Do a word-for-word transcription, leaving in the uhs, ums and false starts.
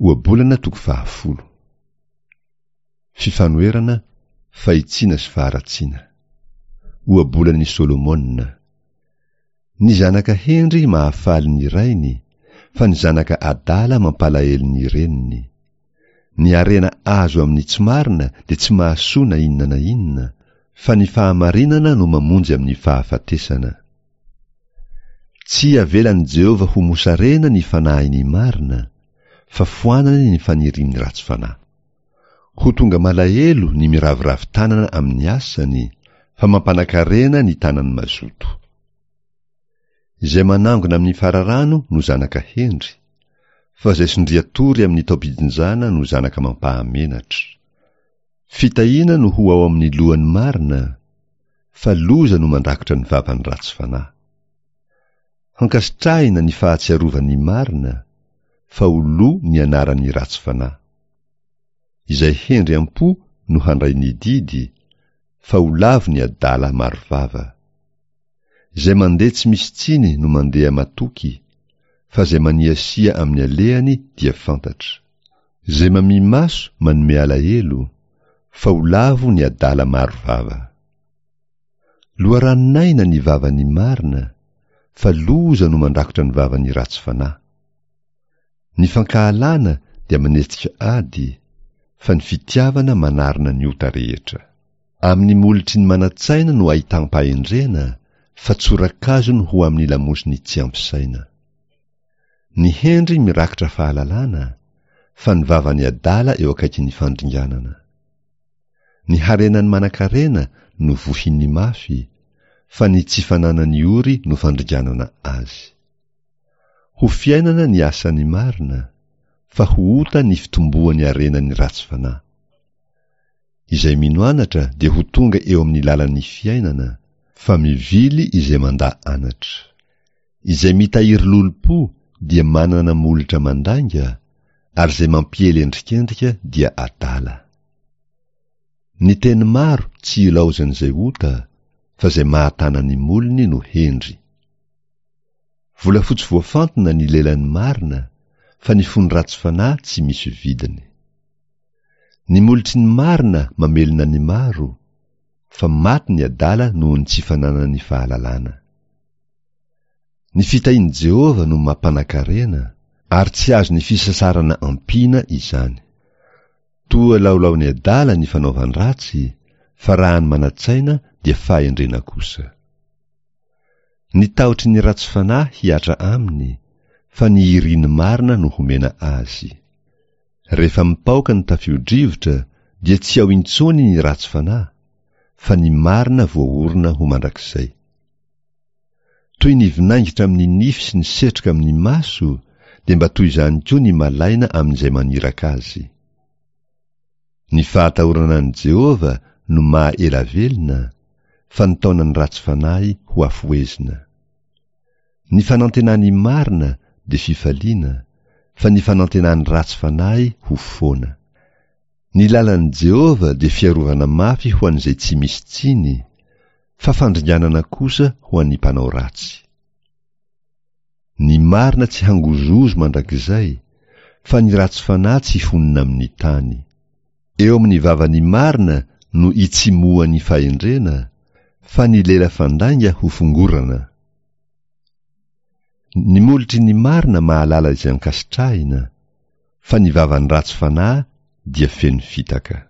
Ohabolana toko fahafolo. Fifanoherana, fahitsiana sy faharatsiana. Ohabolan'i Solomona. Ny zanaka hendry mahafaly ny rainy, fa ny zanaka adala mampalahelo ny reniny. Ny harena azo amin'ny tsy marina dia tsy mahasoa na inona na inona, fa ny fahamarinana no mamonjy amin'ny fahafatesana. Tsy avelan'i Jehovah ho mosarena ny fanahin'ny marina, fa foanany ny fanirian'ny ratsy fanahy. Ho tonga malahelo ny miraviravy tanana amin'ny asany, fa mampanan-karena ny tanany mazoto. Izay manangona amin'ny fararano no zanaka hendry, fa izay sondrian-tory amin'ny taom-pijinjana no zanaka mampahamenatra. Fitahiana no ho ao amin'ny lohan'ny marina, fa loza no mandrakotra ny vavan'ny ratsy fanahy. Hankasitrahina ny fahatsiarovan'ny marina, fa ho lo ny anaran'ny ratsy fanahy. Izay hendry am-po no handray ny didy, fa ho lavo ny adala maro vava. Izay mandeha tsy misy tsiny no mandeha matoky, fa izay maniasia amin'ny alehany dia fantatra. Izay mamimaso manome alahelo, fa ho lavo ny adala maro vava. Loharanon'aina ny vavan'ny marina, fa loza no mandrakotra ny vavan'ny ratsy fanahy. Ny fankahalana dia manetsika ady, fa ny fitiavana manarina ny ota rehetra. Amin'ny molotry ny manan-tsaina no ahitam-pahendrena, fa tsorakazony ho amin'ny lamosin'ny tsy ampy saina. Ny hendry mirakitra fahalalana, fa ny vavan'ny adala eo akaikin'ny fandringanana. Ny harenan'ny manan-karena no vohin'ny mafy, fa ny tsy fananany ory no fandringanana azy. Ho fiainana ny asan'ny marina, fa ho ota ny fitomboan'ny harenan'ny ratsy fanahy. Izay mino anatra dia ho tonga eo amin'ny lalan'ny fiainana, fa mivily izay mandà anatra. Izay mitahiry lolompo dia manana molotra mandainga, ary izay mampiely endrikendrika dia adala. Ny teny maro tsy ilaozan'izay ota, fa izay mahatana ny molony no hendry. Volafotsy voafantina ny lelan'ny marina, fa ny fon'ny ratsy fanahy tsy misy vidiny. Ny molotry ny marina mamelona ny maro, fa maty ny adala noho ny tsy fananany fahalalana. Ny fitahian'i Jehovah no mampanan-karena, ary tsy azon'ny fisasarana ampiana izany. Toa laolaon'ny adala ny fanaovan-dratsy, fa raha ny manan-tsaina dia fahendrena kosa. Ny tahotry ny ratsy fanahy hihatra aminy, fa ny iriny marina no homena azy. Rehefa mipaoka ny tafio-drivotra dia tsy ao intsony ny ratsy fanahy, fa ny marina voaorina ho mandrakizay. Toy ny vinaingitra amin'ny nify sy ny setroka amin'ny maso, dia mba toy izany koa ny malaina amin'izay maniraka azy. Ny fahatahorana an'i Jehovah no maha ela velona, fa ny taonan'ny ratsy fanahy ho afohezina. Ny fanantenan'ny marina dia fifaliana, fa ny fanantenan'ny ratsy fanahy ho foana. Ny lalan'i Jehovah dia fiarovana mafy ho an'izay tsy misy tsiny, fa fandringanana kosa ho an'ny mpanao ratsy. Ny marina tsy hangozohozo mandrakizay, fa ny ratsy fanahy tsy honina amin'ny tany. Eo amin'ny vavan'ny marina no itsimohan'ny fahendrena, fa ny lela fandainga ho fongorana. Ny molotry ny marina mahalala izay ankasitrahina, fa ny vavan'ny ratsy fanahy dia feno fitaka.